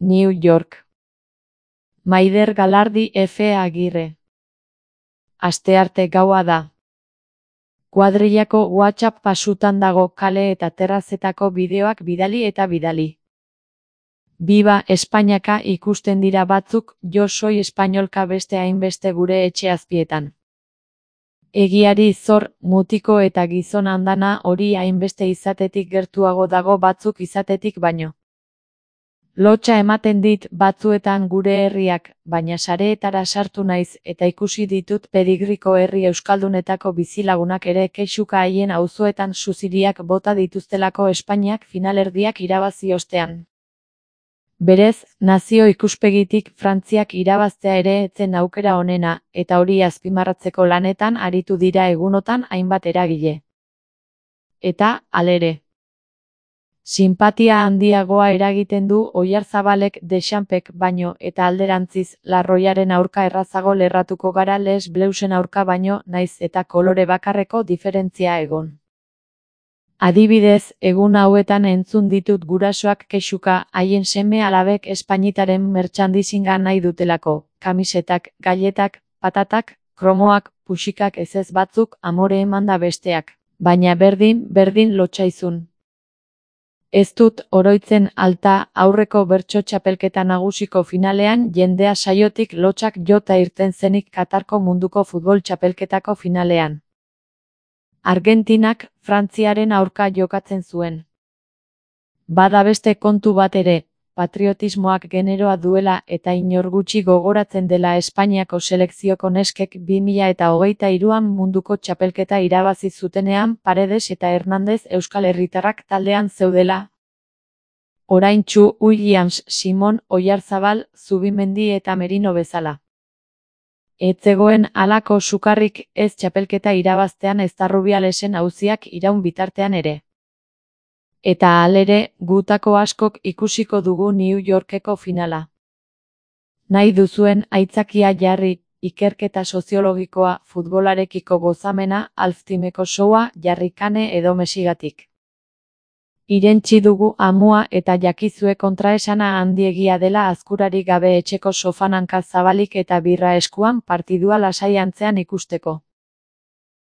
New York. Maider Galardi F. Agirre. Astearte gaua da. Kuadrillako WhatsApp pasutan dago kale eta terrazetako bideoak bidali eta bidali. Biba Espainiaka ikusten dira batzuk, jo soy espainolka beste hainbeste gure etxe azpietan. Egiari zor, mutiko eta gizon andana hori hainbeste izatetik gertuago dago batzuk izatetik baino. Lotsa ematen dit batzuetan gure herriak, baina sareetara sartu naiz eta ikusi ditut pedigriko herri euskaldunetako bizilagunak ere kexuka haien auzoetan suziriak bota dituztelako Espainiak finalerdiak irabazi ostean. Berez, nazio ikuspegitik Frantziak irabaztea ere etzen aukera onena, eta hori azpimarratzeko lanetan aritu dira egunotan hainbat eragile. Eta, halere. Sinpatia handiagoa eragiten du Oyarzabalek Dechampsek baino eta alderantziz Larroiaren aurka errazago lerratuko gara Les Bleusen aurka baino naiz eta kolore bakarreko diferentzia egon. Adibidez, egun hauetan entzun ditut gurasoak kexuka haien seme alabek Espainitaren merchandisinga nahi dutelako, kamisetak, galletak, patatak, kromoak, puxikak ezez batzuk amore emanda besteak, baina berdin lotsaizun. Ez dut oroitzen alta aurreko bertso txapelketa nagusiko finalean jendea saiotik lotsak jota irten zenik Katarko munduko futbol txapelketako finalean. Argentinak Frantziaren aurka jokatzen zuen. Bada beste kontu bat ere, patriotismoak generoa duela eta inor gutxi gogoratzen dela Espainiako selekzioko neskek 2023an munduko txapelketa irabazi zutenean Paredes eta Hernandez euskal herritarrak taldean zeudela. Oraintsu Williams, Simon, Oyarzabal, Zubimendi eta Merino bezala. Ez zegoen halako sukarrik ez txapelketa irabaztean ezta Rubialesen auziak iraun bitartean ere. Eta halere, gutako askok ikusiko dugu New Yorkeko finala. Nahi duzuen aitzakia jarri, ikerketa soziologikoa, futbolarekiko gozamena, alftimeko showa, jarri Kane edo Mesigatik. Irentsi dugu amua eta jakizue kontraesana handiegia dela azkurarik gabe etxeko sofananka zabalik eta birra eskuan partidua lasai antzean ikusteko.